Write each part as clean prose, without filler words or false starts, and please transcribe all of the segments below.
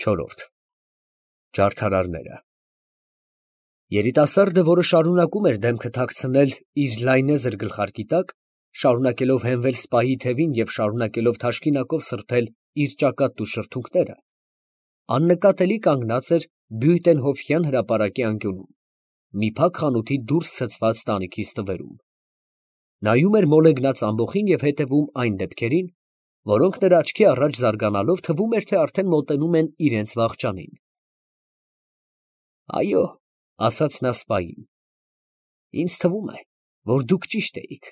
Չորրորդ Ջարդարարները Երիտասարդը, որը շարունակում էր դեմքը թաքցնել իր լայնեզր գլխարկի տակ, շարունակելով հենվել սպայի թևին և շարունակելով թաշկինակով սրբել իր ճակատն ու շրթունքները, աննկատելի կանգնած էր Բյուտենհոֆյան հրապարակի անկյունում, մի փակ խանութի դուրս ցցված տանիքի ստվերում. նայում էր մոլեգնած ամբոխին և հետևում այն դեպքերին, որոնք նրա աչքի առաջ զարգանալով թվում էր, թե արդեն մոտենում են իրենց վախճանին։ Այո, ասաց նա սպային, ինձ թվում է, որ դուք ճիշտ էիք,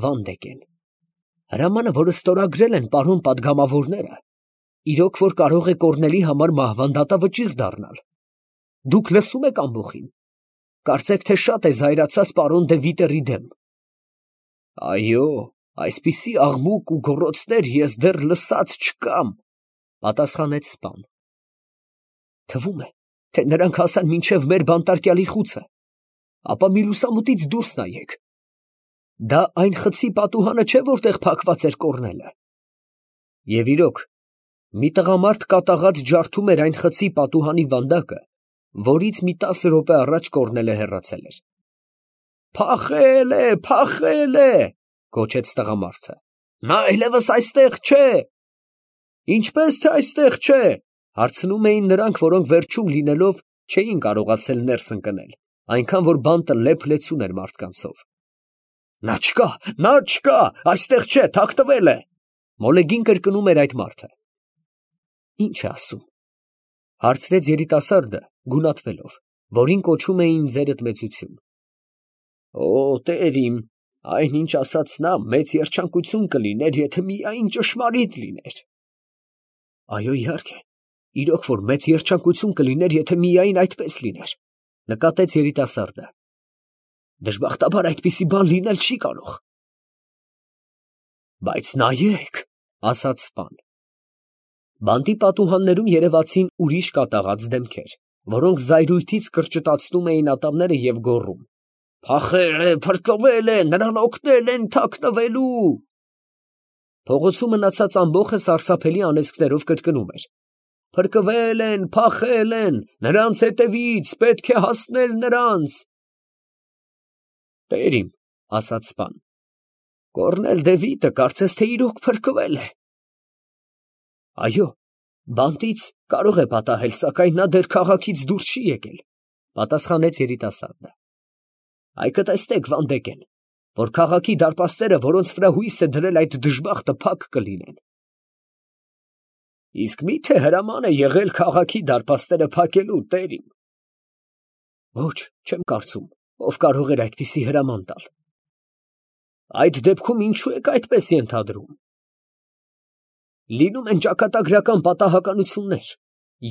Վանդեկեն։ Հրամանը, որը ստորագրել են պարոն պատգամավորները, իրոք որ կարող է Կոռնելի համար մահվան դատավճիռ դառնալ։ Դուք լսում եք ամբոխին։ Կարծեք, թե շատ է զայրացած պարոն դե Վիտերի դեմ։ Այո, այսպիսի աղմուկ ու գոռոցներ ես դեռ լսած չկամ, պատասխանեց սպան։ Թվում է, թե նրանք հասան մինչև մեր բանտարկյալի խուցը, ապա մի լուսամուտից դուրս նայեք։ Դա այն խցի պատուհանը չէ, որտեղ փակված էր Կոռնելը։ Եվ իրոք, մի տղամարդ կատաղած ջարդում էր այն խցի պատուհանի վանդակը, որից մի 10 րոպե առաջ Կոռնելը հեռացել էր։ Փախել է, գոչեց տղամարդը։ Նա այլևս այստեղ չէ։ Ինչպես թե այստեղ չէ, հարցնում էին նրանք, որոնք վերջում լինելով չէին կարողացել ներս ընկնել, այնքան որ բանտը լեփ-լեցուն էր մարդկանցով։ Նա չկա, այստեղ չէ, թաքնվել է, մոլեգին կրկնում էր այդ մարդը։ Ինչ է ասում, հարցրեց երիտասարդը, գունատվելով, որին կոչում էին ձերըտմեցություն։ Օ, տեր իմ, այնինչ ասաց նա, մեծ երջանկություն կլիներ, եթե միայն ճշմարիտ լիներ։ Այո, իհարկե, իրոք որ մեծ երջանկություն կլիներ, եթե միայն այդպես լիներ, նկատեց երիտասարդը։ Դժբախտաբար այդպիսի բան լինել չի կարող։ Բայց նայեք, ասաց սպան։ Բանտի պատուհաններում երևացին ուրիշ կատաղած դեմքեր, որոնք զայրույթից կրճտացնում էին ատամները և գոռում. Փախել է, փրկվել է, նրան օգնել են թաքնվելու։ Փողոցում մնացած ամբոխը սարսափելի անեծքներով կրկնում էր. Փրկվել են, փախել են, նրանց հետևից, պետք է հասնել նրանց։ Տեր իմ, ասաց սպան, Կոռնել դե Վիտը կարծես թե իրոք փրկվել է։ Այո, բանտից կարող է պատահել, սակայն նա դեռ քաղաքից դուրս չի եկել, պատասխանեց երիտասարդը։ Այ կտեսնեք, Վանդեկեն, որ քաղաքի դարպասները, որոնց վրա հույս է դրել այդ դժբախտը, փակ կլինեն։ Իսկ մի՞թե հրաման է եղել քաղաքի դարպասները փակելու, տեր իմ։ Ոչ, չեմ կարծում, ով կարող էր այդպիսի հրաման տալ։ Այդ դեպքում ինչու եք այդպես ենթադրում։ Լինում են ճակատագրական պատահականություններ,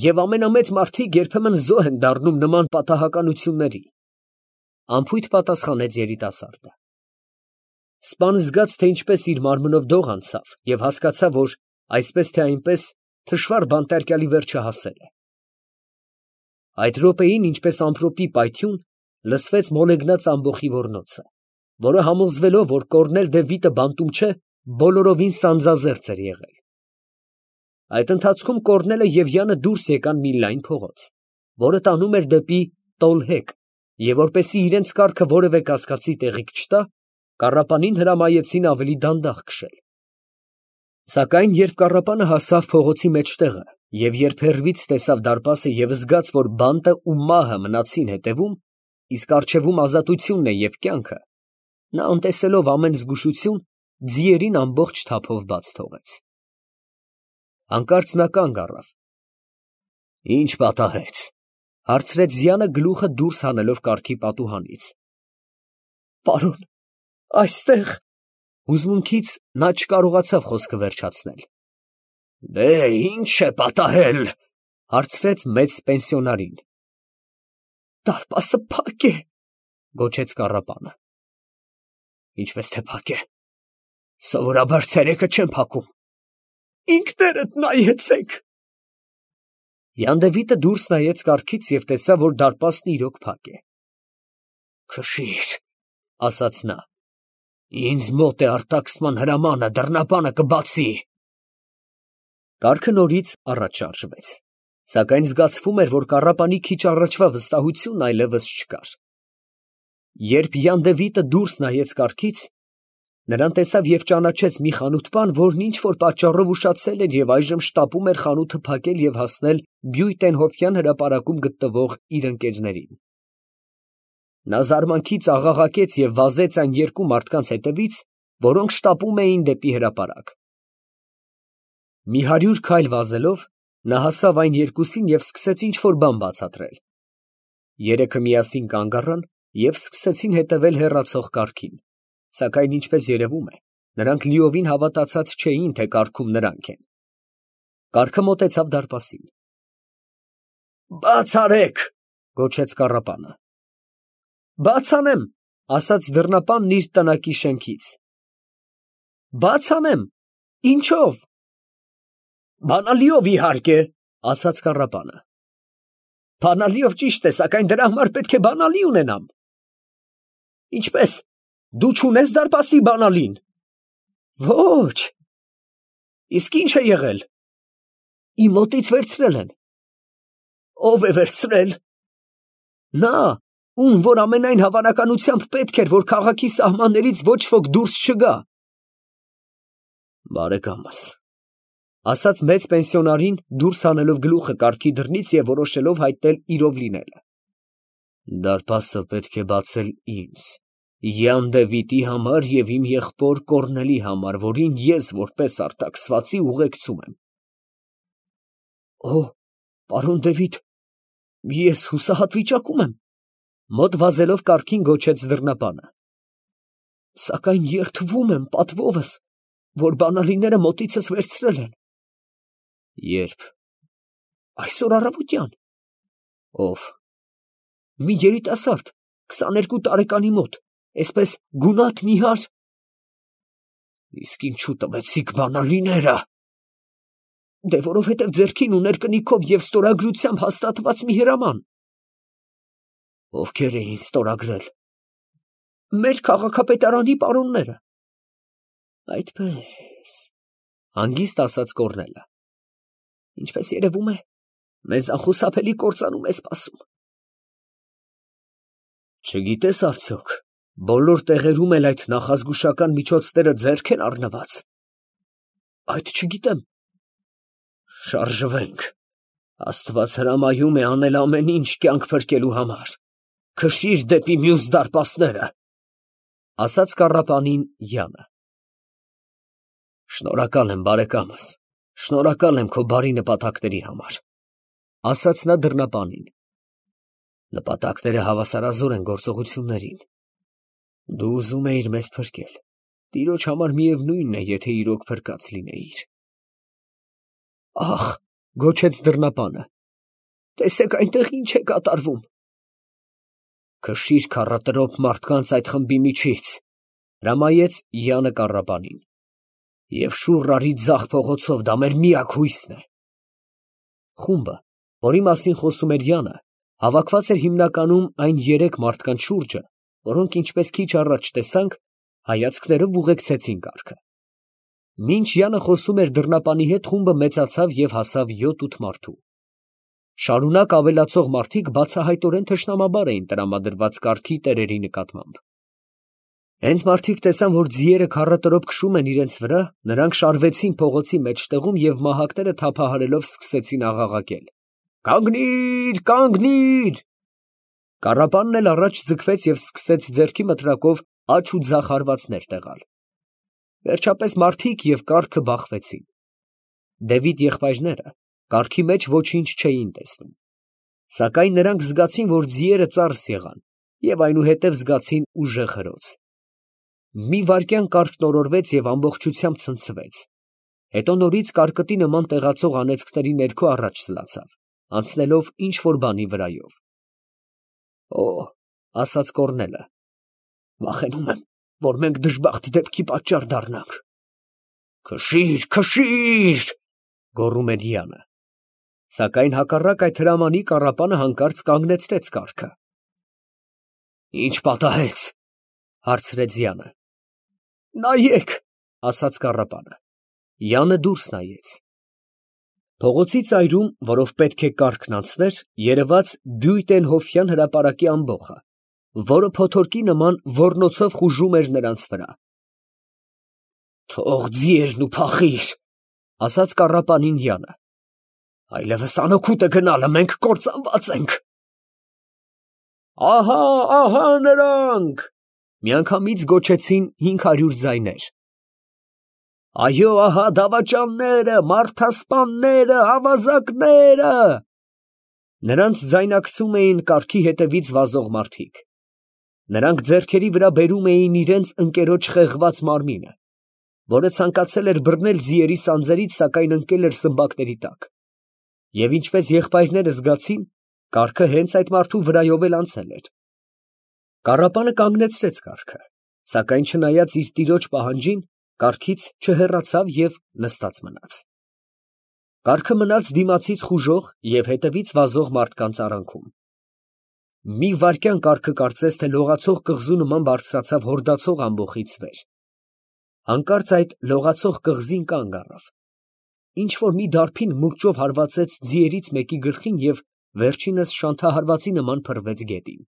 և ամենամեծ մարդիկ երբեմն զոհ են դառնում նման պատահականությունների, անփույթ պատասխանեց երիտասարդը։ Սպան զգաց, թե ինչպես իր մարմնով դող անցավ և հասկացավ, որ այսպես թե այնպես թշվառ բանտարկյալի վերջը հասել է։ Այդ րոպեին, ինչպես ամպրոպի պայթյուն, լսվեց մոլեգնած ամբոխի ոռնոցը, որը համոզվելով, որ Կոռնել դե Վիտը բանտում չէ, բոլորովին սանձազերծ էր եղել։ Այդ ընթացքում Կոռնելը և Յանը դուրս եկան մի լայն փողոց, որը տանում էր դեպի Տոլհեկ, և որպեսզի իրենց կառքը որևէ կասկածի տեղիք չտա, կառապանին հրամայեցին ավելի դանդաղ քշել։ Սակայն երբ կառապանը հասավ փողոցի մեջտեղը, և երբ հեռվից տեսավ դարպասը և զգաց, որ բանտը ու մահը մնացին հետևում, իսկ առջևում ազատությունն է և կյանքը, նա անտեսելով ամեն զգուշություն, ձիերին ամբողջ թափով բաց թողեց։ Հանկարծ նա կանգ առավ։ Ինչ պատահեց, հարցրեց Ձյանը գլուխը դուրս հանելով կառքի պատուհանից։ Պարոն, այստեղ… Հուզմունքից նա չկարողացավ խոսքը վերջացնել։ Դե, ի՞նչ է պատահել, հարցրեց մեծ պենսիոնարին։ Դարպասը փակ է, գոչեց կառապանը։ Ինչպես թե փակ է, սովորաբար ցերեկը չեն փակում։ Ինքներդ նայեցեք։ Յան դե Վիտը դուրս նայեց կառքից և տեսավ, որ դարպասն իրոք փակ է։ Քշիր, ասաց նա, ինձ մոտ է արտաքսման հրամանը, դռնապանը կբացի։ Կառքը նորից առաջ շարժվեց։ Սակայն զգացվում էր, որ կառապանի քիչ առաջվա վստահությունն այլևս չկար։ Երբ Յան Դևիթը դուրս նայեց կառքից, նրան տեսավ և ճանաչեց մի խանութպան, որն ինչ որ պատճառով ուշացել էր և այժմ շտապում էր խանութը փակել և հասնել Բյույտենհոֆյան հրապարակում գտնվող իր ընկերներին։ Նա զարմանքից աղաղակեց և վազեց այն երկու մարդկանց հետևից, որոնք շտապում էին դեպի հրապարակ։ Մի 100 քայլ վազելով, նա հասավ այն երկուսին և սկսեց ինչ֊որ բան բացատրել։ Երեքը միասին կանգ առան և սկսեցին հետևել հեռացող կառքին, սակայն ինչպես երևում է, նրանք լիովին հավատացած չէին, թե կառքում նրանք են։ Կառքը մոտեցավ դարպասին։ «Բաց արեք», գոչեց կառապանը։ «Բաց անեմ», ասաց դռնապանն իր տնակի շեմքից։ «Բաց անեմ, ինչո՞վ»։ «Բանալիով, իհարկե», ասաց կառապանը։ «Բանալիով ճիշտ է, սակայն դրա համար պետք է բանալի ունենամ»։ «Ինչպես, դու չունես դարպասի բանալին»։ «Ոչ»։ «Իսկ ի՞նչ է եղել»։ «Իմ մոտից վերցրել են»։ «Ո՞վ է վերցրել»։ «Նա, ում որ ամենայն հավանականությամբ պետք էր, որ քաղաքի սահմաններից ոչ ոք դուրս չգա»։ «Բարեկամս», ասաց մեծ պենսիոնարին, դուրս հանելով գլուխը կառքի դռնից և որոշելով հայտնել իրով լինելը, դարպասը պետք է բացել ինձ, Յան Դևիթի համար և իմ եղբոր Կոռնելի համար, որին ես որպես արտաքսվածի ուղեկցում եմ։ «Օ, պարոն Դևիթ, ես հուսահատ վիճակում եմ», մոտ վազելով կառքին գոչեց դռնապանը։ «Սակայն երդվում եմ պատվովս, որ բանալիները մոտիցս վերցրել են»։ «Ե՞րբ»։ «Այսօր առավոտյան»։ «Ո՞վ»։ «Մի երիտասարդ, 22 տարեկանի մոտ, էսպես գունատ նիհար»։ «Իսկ ինչո՞ւ տվեցիք բանալիները»։ «Դե որովհետև ձեռքին ուներ կնիքով և ստորագրությամբ հաստատված մի հրաման»։ «Ովքեր էին ստորագրել»։ «Մեր քաղաքապետարանի պարոնները»։ «Այդպե՞ս», հանգիստ ասաց Կոռնելը։ «Ինչպես երևում է, մեզ անխուսափելի կործանում է սպասում»։ «Չգիտես արդյոք, բոլոր տեղերում էլ այդ նախազգուշական միջոցները ձեռք են առնված»։ «Այդ չգիտեմ»։ «Շարժվենք, Աստված հրամայում է անել ամեն ինչ կյանք փրկելու համար, քշիր դեպի մյուս դարպասները», ասաց կառապանին Յանը։ «Շնորհակալ եմ, բարեկամս, շնորհակալ եմ քո բարի նպատակների համար», ասաց նա դռնապանին։ «Նպատակները հավասարազոր են գործողություններին։ Դու ուզում էիր մեզ փրկել, Տիրոջ համար միևնույնն է, եթե իրոք փրկած լինեիր»։ «Ախ», գոչեց դռնապանը, «տեսեք այնտեղ ինչ է կատարվում»։ «Քշիր քառատրոփ մարդկանց այդ խմբի միջից», հրամայեց Յանը կառապանին, «և շուռ արի ձախ փողոցով, դա մեր միակ հույսն է»։ Խումբը, որի մասին խոսում էրՅանը, հավաքված էր հիմնականում այն 3 մարդկանց շուրջը, որոնք, ինչպես քիչ առաջ տեսանք, հայացքներով ուղեկցեցին կառքը։ ՄինչՅանը խոսում էր դռնապանի հետ, խումբը մեծացավ և հասավ 7-8 մարդու։ Շարունակ ավելացող մարդիկ բացահայտորեն թշնամաբար էին տրամադրված կառքի տերերի նկատմամբ։ Հենց մարդիկ տեսան, որ ձիերը քառատրոփ քշում են իրենց վրա, նրանք շարվեցին փողոցի մեջտեղում և մահակները թափահարելով սկսեցին աղաղակել. «Կանգնի՛ր, կանգնի՛ր»։ Կառապանն էլ առաջ ձգվեց և սկսեց ձեռքի մտրակով աջ ու ձախ հարվածներ տեղալ։ Վերջապես մարդիկ և կառքը բախվեցին։ Դևիթ եղբայրները կառքի մեջ ոչինչ չէին տեսնում։ Սակայն նրանք զգացին, որ ձիերը ծարս եղան և այնուհետև զգացին ուժեղ հրոց։ Մի վայրկյան կառքն օրորվեց և ամբողջությամբ ցնցվեց։ Հետո նորից կարկտի նման տեղացող անեծքների ներքո առաջ սլացավ, անցնելով ինչ֊որ բանի վրայով։ «Օ», ասաց Կոռնելը, «վախենում եմ, որ մենք դժբախտ դեպքի պատճառ դառնանք»։ «Քշի՛ր, քշի՛ր», գոռում էր Յանը։ Սակայն հակառակ այդ հրամանի կառապանը հանկարծ կանգնեցրեց կառքը։ «Ի՞նչ պատահեց», հարցրեց Յանը։ «Նայեք», ասաց կառապանը։ Յանը դուրս նայեց։ Փողոցի ծայրում, որով պետք է կառքն անցներ, երևաց Բյույտենհոֆյան հրապարակի ամբոխը, որը փոթորկի նման ոռնոցով խուժում էր նրանց վրա։ «Թող ձիերն ու փախիր», ֊ ասաց կառապանին Յանը, ֊ այլևս անօգուտ է գնալը, մենք կործանված ենք։ «Ահա, ահա նրանք», ֊ միանգամից գոչեցին 500 ձայներ։ «Այո, ահա դավաճանները, մարդասպանները, ավազակները»։ Նրանց ձայնակցում էին կառքի հետևից վազող մարդիկ։ Նրանք ձեռքերի վրա բերում էին իրենց ընկերոջ խեղված մարմինը, որը ցանկացել էր բռնել ձիերի սանձերից, սակայն ընկել էր սմբակների տակ։ Եվ ինչպես եղբայրները զգացին, կառքը հենց այդ մարդու վրայով էլ անցել էր։ Կառապանը կանգնեցրեց կառքը, սակայն չնայած իր տիրոջ պահանջին, կառքից չհեռացավ և նստած մնաց։ Կառքը մնաց դիմացից խուժող և հետևից վազող մարդկանց արանքում։ Մի վայրկյան կառքը կարծես թե լողացող կղզու նման բարձրացավ հորդացող ամբոխից վեր։ Հանկարծ այդ լողացող կղզին կանգ առավ։ Ինչ֊որ մի դարբին մուրճով հարվածեց ձիերից մեկի գլխին և վերջինս շանթահարվածի նման փռվեց գետին։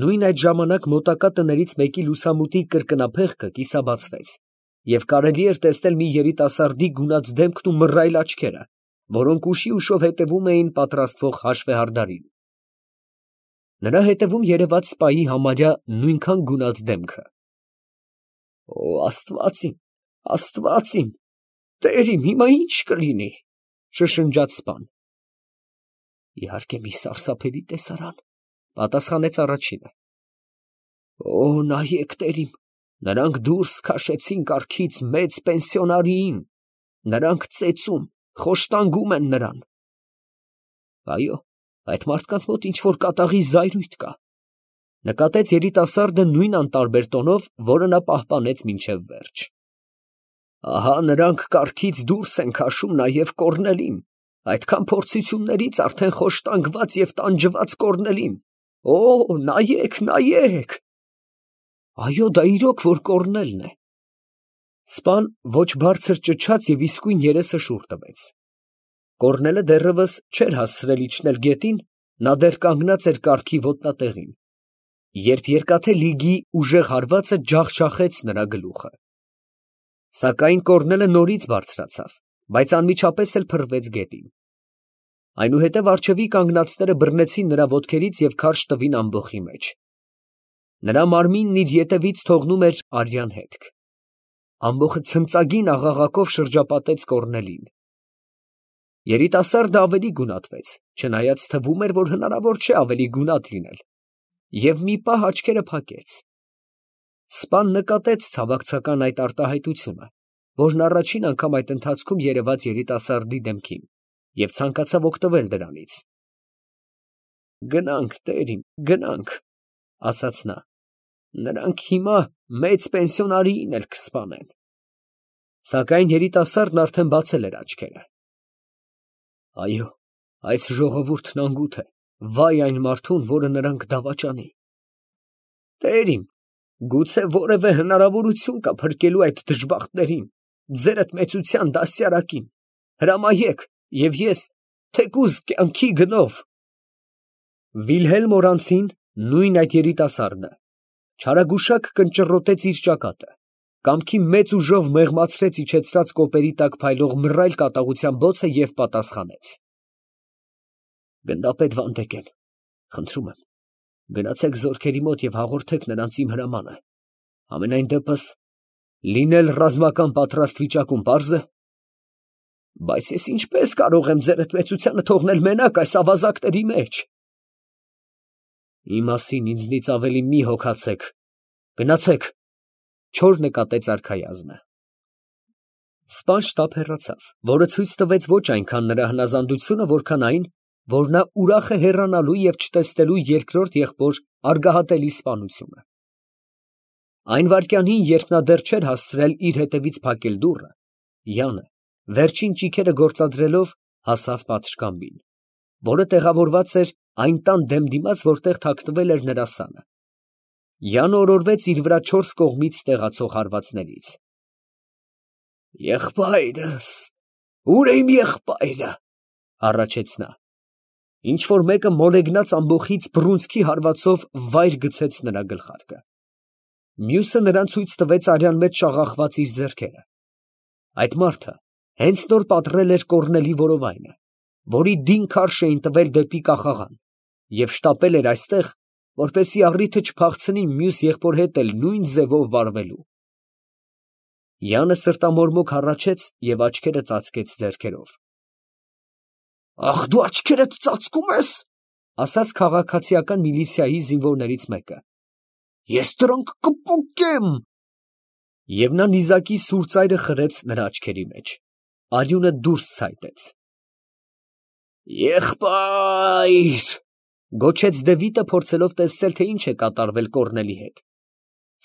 Նույն այդ ժամանակ մոտակա տներից մեկի լուսամուտի կրկնափեղկը կիսաբացվեց, և կարելի էր տեսնել մի երիտասարդի գունատ դեմքն ու մռայլ աչքերը, որոնք ուշի ուշով հետևում էին պատրաստվող հաշվեհարդարին։ Նրա հետևում երևաց սպայի համարյա նույնքան գունատ դեմքը։ «Օ աստված իմ, աստված իմ, Տեր իմ, հիմա ի՞նչ կլինի», ֊ շշնջաց սպան։ «Իհարկե մի սարսափելի տեսարան, ֊ պատասխանեց առաջինը։ Օ նայեք, Տեր իմ, նրանք դուրս քաշեցին կառքից մեծ պենսիոնարիին, նրանք ծեծում, խոշտանգում են նրան։ Այո, այդ մարդկանց մոտ ինչ֊որ կատաղի զայրույթ կա, ֊ նկատեց երիտասարդը նույն անտարբեր տոնով, որը նա պահպանեց մինչև վերջ։ Ահա նրանք կառքից դուրս են քաշում նաև Կոռնելին, այդքան փորձություններից արդեն խոշտանգված և տանջված Կոռնելին։ Օ, նայեք, նայեք։ Այո, դա իրոք որ Կոռնելն է։ Սպան ոչ բարձր ճչաց և իսկույն երեսը շուռ տվեց։ Կոռնելը դեռևս չէր հասցրել իջնել գետին, նա դեռ կանգնած էր կառքի ոտնատեղին, երբ երկաթե լիգի ուժեղ հարվածը ջախջախեց նրա գլուխը։ Սակայն Կոռնելը նորից բարձրացավ, բայց անմիջապես էլ փռվեց գետին։ Այնուհետև առջևի կանգնածները բռնեցին նրա ոտքերից և քարշ տվին ամբոխի մեջ։ Նրա մարմինն իր ետևից թողնում էր արյան հետք։ Ամբոխը ցնծագին աղաղակով շրջապատեց Կոռնելին։ Երիտասարդը ավելի գունատվեց, չնայած թվում էր, որ հնարավոր չէ ավելի գունատ լինել, և մի պահ աչքերը փակեց։ Սպան նկատեց ցավակցական այդ արտահայտությունը, որն առաջին անգամ այդ ընթացքում երևաց երիտասարդի դեմքին, և ցանկացավ օգտվել դրանից։ «Գնանք, Տեր իմ, գնանք, ֊ ասաց նա, ֊ նրանք հիմա մեծ պենսիոնարիին էլ կսպանեն»։ Սակայն երիտասարդն արդեն բացել էր աչքերը։ Այո, այս ժողովուրդն անգութ է, վայ այն մարդուն, որը նրանք դավաճանի։ Տեր իմ, գուցե որևէ հնարավորություն կա փրկելու այդ դժբախտներին, ձերդ մեծության դաստիարակին, հրամայեք, և ես, թեկուզ կյանքի գնով։ Վիլհելմ նույն այդ երիտասարդը չարագուշակ կնճռոտեց իր ճակատը, կամքի մեծ ուժով մեղմացրեց իջեցրած կոպերի տակ փայլող մռայլ կատաղության բոցը և պատասխանեց. Գնդապետ Վանդեկեն, խնդրում եմ, գնացեք զորքերի մոտ և հաղորդեք նրանց իմ հրամանը։ Համենայն դեպս, լինել ռազմական պատրաստ վիճակում պարզ է։ Բայց ես ինչպես կարող եմ ձերդ մեծությանը թողնել մենակ այս ավազակների մեջ։ Իմ մասին ինձնից ավելի մի հոգացեք, գնացեք, չոր նկատեց արքայազնը։ Սպան շտապ հեռացավ, որը ցույց տվեց ոչ այնքան նրա հնազանդությունը, որքան այն, որ նա ուրախ է հեռանալու և չտեսնելու երկրորդ եղբոր արգահատելի սպանությունը։ Այն վայրկյանին, երբ նա դեռ չէր հասցրել իր հետևից փակել դուռը, Յանը, վերջին ճիգերը գործադրելով, հասավ պատշգամբին, որը տեղավորված էր այն տան դեմ դիմաց, որտեղ թաքնվել էր նրա սանը։ Յանը օրորվեց իր վրա 4 կողմից տեղացող հարվածներից։ Եղբայրս, Ուր է իմ եղբայրը, հառաչեց նա։ Ինչ որ մեկը մոլեգնած ամբոխից բռունցքի հարվածով վայր գցեց նրա գլխարկը։ Մյուսը նրան ցույց տվեց արյան մեջ շաղախված իր ձեռքերը։ Այդ մարդը հենց նոր պատռել էր կոռնելի որովայնը, որի դին քարշ էին տվել դեպի կախաղան, և շտապել էր այստեղ, որպեսզի առիթը չփախցնի մյուս եղբոր հետ էլ նույն ձևով վարվելու։ Յանը սրտամորմոք հառաչեց և աչքերը ծածկեց ձեռքերով։ Ախ, դու աչքերդ ծածկում ես, ասաց քաղաքացիական միլիցիայի զինվորներից մեկը։ Ես դրանք կպուկեմ։ Եվ նա նիզակի սուր ծայրը խրեց նրա աչքերի մեջ։ Արյունը դուրս ցայտեց։ Եղբայր, գոչեց Դևիթը, փորձելով տեսնել, թե ինչ է կատարվել կոռնելի հետ,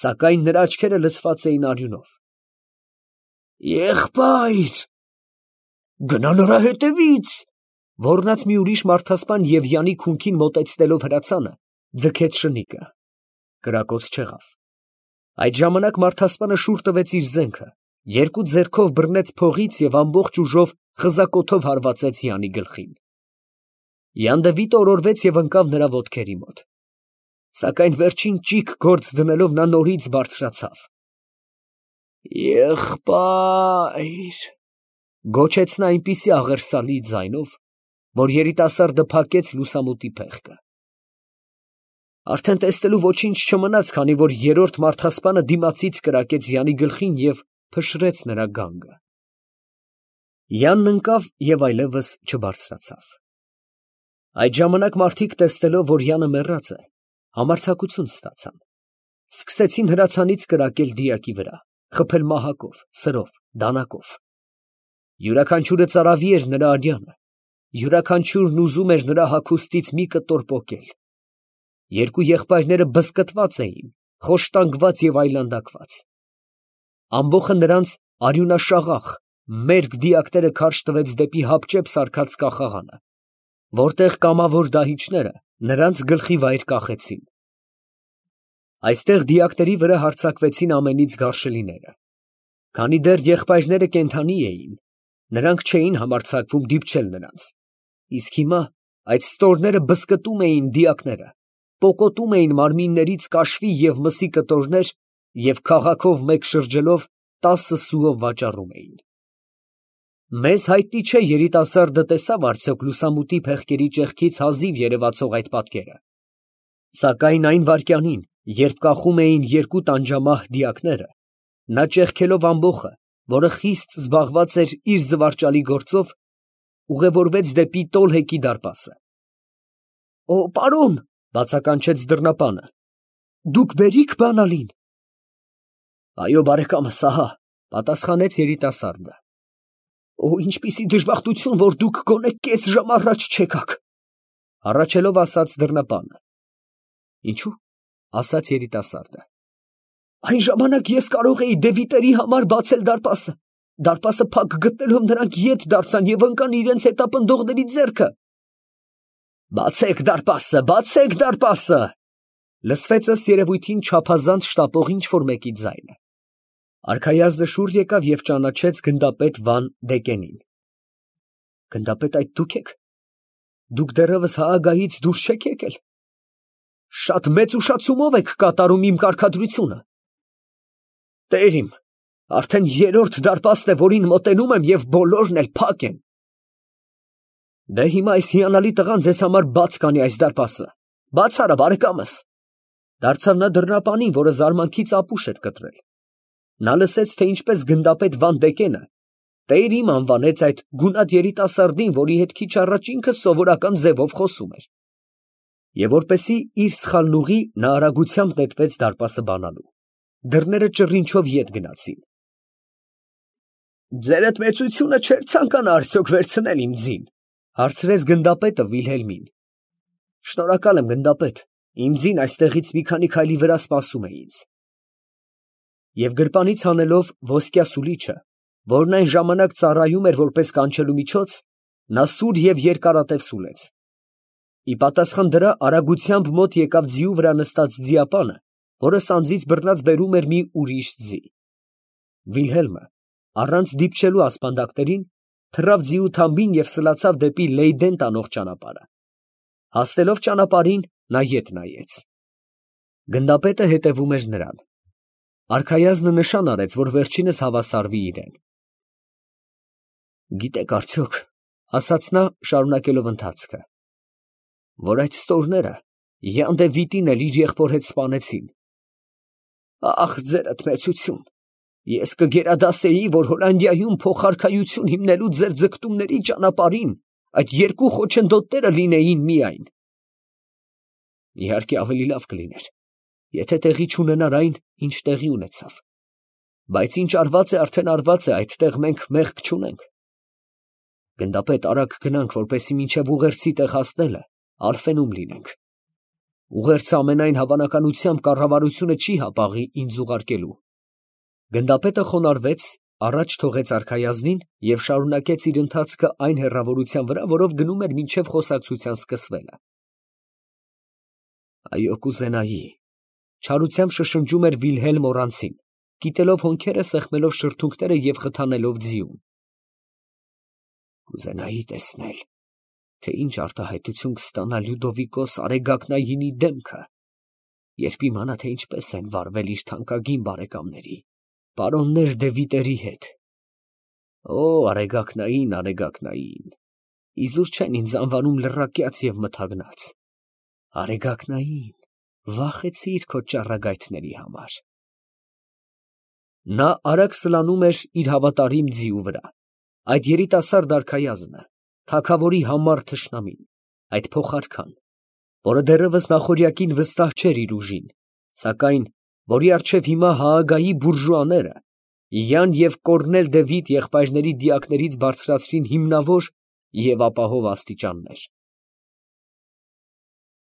սակայն նրա աչքերը լցված էին արյունով։ Եղբայր, գնա նրա հետևից, ոռնաց մի ուրիշ մարդասպան և Յանի քունքին մոտեցնելով հրացանը, ձգեց շնիկը։ Կրակոց չեղավ։ Այդ ժամանակ մարդասպանը շուռ տվեց իր զենքը, երկու ձեռքով բռնեց փողից և ամբողջ ուժով խզակոթով հարվածեց Յանի գլխին։ Յան Դևիթը օրորվեց և ընկավ նրա ոտքերի մոտ։ Սակայն վերջին ճիգ գործ դնելով նա նորից բարձրացավ։ Եղբայր, գոչեց նա այնպիսի աղերսալի ձայնով, որ երիտասարդը փակեց լուսամուտի փեղկը։ Արդեն տեսնելու ոչինչ չմնաց, քանի որ երրորդ մարդասպանը դիմացից կրակեց Յանի գլխին և փշրեց նրա գանգը։ Յանն ընկավ և այլևս չբարձրացավ։ Այդ ժամանակ մարդիկ տեսնելով, որ Յանը մեռած է, համարձակություն ստացան։ Սկսեցին հրացանից կրակել դիակի վրա, խփել մահակով, սրով, դանակով։ Յուրաքանչյուրը ծարավի էր նրա արյանը, յուրաքանչյուրն ուզում էր նրա հագուստից մի կտոր պոկել։ Երկու եղբայրները բզկտված էին, խոշտանգված և այլանդակված։ Ամբոխը նրանց արյունաշաղախ, մերկ դիակները քարշ տվեց դեպի հապճեպ սարքած կախաղանը, որտեղ կամավոր դահիճները նրանց գլխի վայր կախեցին։ Այստեղ դիակների վրա հարձակվեցին ամենից գարշելիները։ Քանի դեռ եղբայրները կենդանի էին, նրանք չէին համարձակվում դիպչել նրանց, իսկ հիմա այդ ստորները բզկտում էին դիակները, պոկոտում էին մարմիններից կաշվի և մսի կտորներ և քաղաքով մեկ շրջելով 10 սուով վաճառում էին։ Մեզ հայտնի չէ երիտասարդը տեսավ արդյոք լուսամուտի փեղկերի ճեղքից հազիվ երևացող այդ պատկերը, սակայն այն վայրկյանին, երբ կախում էին երկու տանջամահ դիակները, նա ճեղքելով ամբոխը, որը խիստ զբաղված էր իր զվարճալի գործով, ուղևորվեց դեպի տոլհեկի դարպասը։ Օ, պարոն, բացականչեց դռնապանը, դուք բերիք բանալին։ Այո, բարեկամս, ահա, պատասխանեց երիտասարդը։ Օ, ինչպիսի դժբախտություն, որ դուք գոնե կես ժամ առաջ չեկաք, հառաչելով ասաց դռնապանը։ Ինչու՞, ասաց երիտասարդը։ Այն ժամանակ ես կարող էի Դևիթերի համար բացել դարպասը։ Դարպասը փակ գտնելով նրանք ետ դարձան և ընկան իրենց հետապնդողների ձեռքը։ Բացեք դարպասը, բացեք դարպասը, լսվեց ըստ երևույթին չափազանց շտապող ինչ-որ մեկի ձայնը։ Արքայազնը շուռ եկավ և ճանաչեց գնդապետ Վան Դեկենին։ Գնդապետ, այդ դուք եք։ Դուք դեռևս Հաագայից դուրս չեք եկել։ Շատ մեծ ուշացումով եք կատարում իմ կարգադրությունը։ Տեր իմ, արդեն երրորդ դարպասն է, որին մոտենում եմ, և բոլորն էլ փակ են։ Դե հիմա այս հիանալի տղան ձեզ համար բաց կանի այս դարպասը։ Բաց արա, բարեկամս։ Դարձավ նա դռնապանին, որը զարմանքից ապուշ էր կտրել։ Նա լսեց, թե ինչպես գնդապետ Վան Դեկենը տեր իմ անվանեց այդ գունատ երիտասարդին, որի հետ քիչ առաջ ինքը սովորական ձևով խոսում էր։ Եվ որպեսզի իր սխալն ուղղի, նա արագությամբ նետվեց դարպասը բանալու։ Դռները ճռինչով ետ գնացին։ Ձերդ մեծությունը չէր ցանկանա արդյոք վերցնել իմ ձին, հարցրեց գնդապետը Վիլհելմին։ Շնորհակալ եմ, գնդապետ, իմ ձին այստեղից մի քանի քայլի վրա սպասում է ինձ։ Եվ գրպանից հանելով ոսկյա սուլիչը, որն այն ժամանակ ծառայում էր որպես կանչելու միջոց, նա սուր և երկարատև սուլեց։ Ի պատասխան դրա արագությամբ մոտ եկավ ձիու վրա նստած ձիապանը, որը սանձից բռնած բերում էր մի ուրիշ ձի։ Վիլհելմը, առանց դիպչելու ասպանդակներին, թռավ ձիու թամբին և սլացավ դեպի Լեյդեն տանող ճանապարհը։ Հասնելով ճանապարհին, նա ետ նայեց։ Գնդապետը հետևում էր նրան։ Արքայազնը նշան արեց, որ վերջինս հավասարվի իրեն։ Գիտեք արդյոք, ասաց նա, շարունակելով ընթացքը, որ այդ ստորները յանդ է վիտին էլ իր եղբոր հետ սպանեցին։ Ախ, ձերդ մեծություն, ես կգերադասեի, որ Հոլանդիայում փոխարքայություն հիմնելու ձեր ձգտումների ճանապարհին այդ երկու խոչընդոտները լինեին միայն։ Իհարկե ավելի լավ կլիներ, եթե տեղի չունենար այն, ինչ տեղի ունեցավ, բայց ինչ արված է, արդեն արված է, այդտեղ մենք մեղք չունենք։ Գնդապետ, արագ գնանք, որպեսզի մինչև ուղերձի տեղ հասնելը Արֆենում լինենք։ Ուղերձը ամենայն հավանականությամբ կառավարությունը չի հապաղի ինձ ուղարկելու։ Գնդապետը խոնարհվեց, առաջ թողեց արքայազնին և շարունակեց իր ընթացքը այն հեռավորության վրա, որով գնում էր մինչև խոսակցության սկսվելը։ Այո, կուզենայի, չարությամբ շշնջում էր Վիլհելմ օրանցին, կիտելով հոնքերը, սեղմելով շրթունքները և խթանելով ձիուն։ Կուզենայի տեսնել, թե ինչ արտահայտություն կստանա Լյուդովիկոս Արեգակնայինի դեմքը, երբ իմանա, թե ինչպես են վարվել իր թանկագին բարեկամների, պարոններ դե Վիտերի հետ։ Օ, Արեգակնային, Արեգակնային, իզուր չեն ինձ անվանում լռակյաց և մթագնաց։ Արեգակնային, վախեցիր քո ճառագայթների համար։ Նա արագ սլանում էր իր հավատարիմ ձիու վրա։ Այդ երիտասարդ արքայազնը, թագավորի համառ թշնամին, այդ փոխարքան, որը դեռևս նախօրյակին վստահ չէր իր ուժին, սակայն որի առջև հիմա Հաագայի բուրժուաները Յան և Կորնել դե Վիտ եղբայրների դիակներից բարձրացրին հիմնավոր և ապահով աստիճաններ։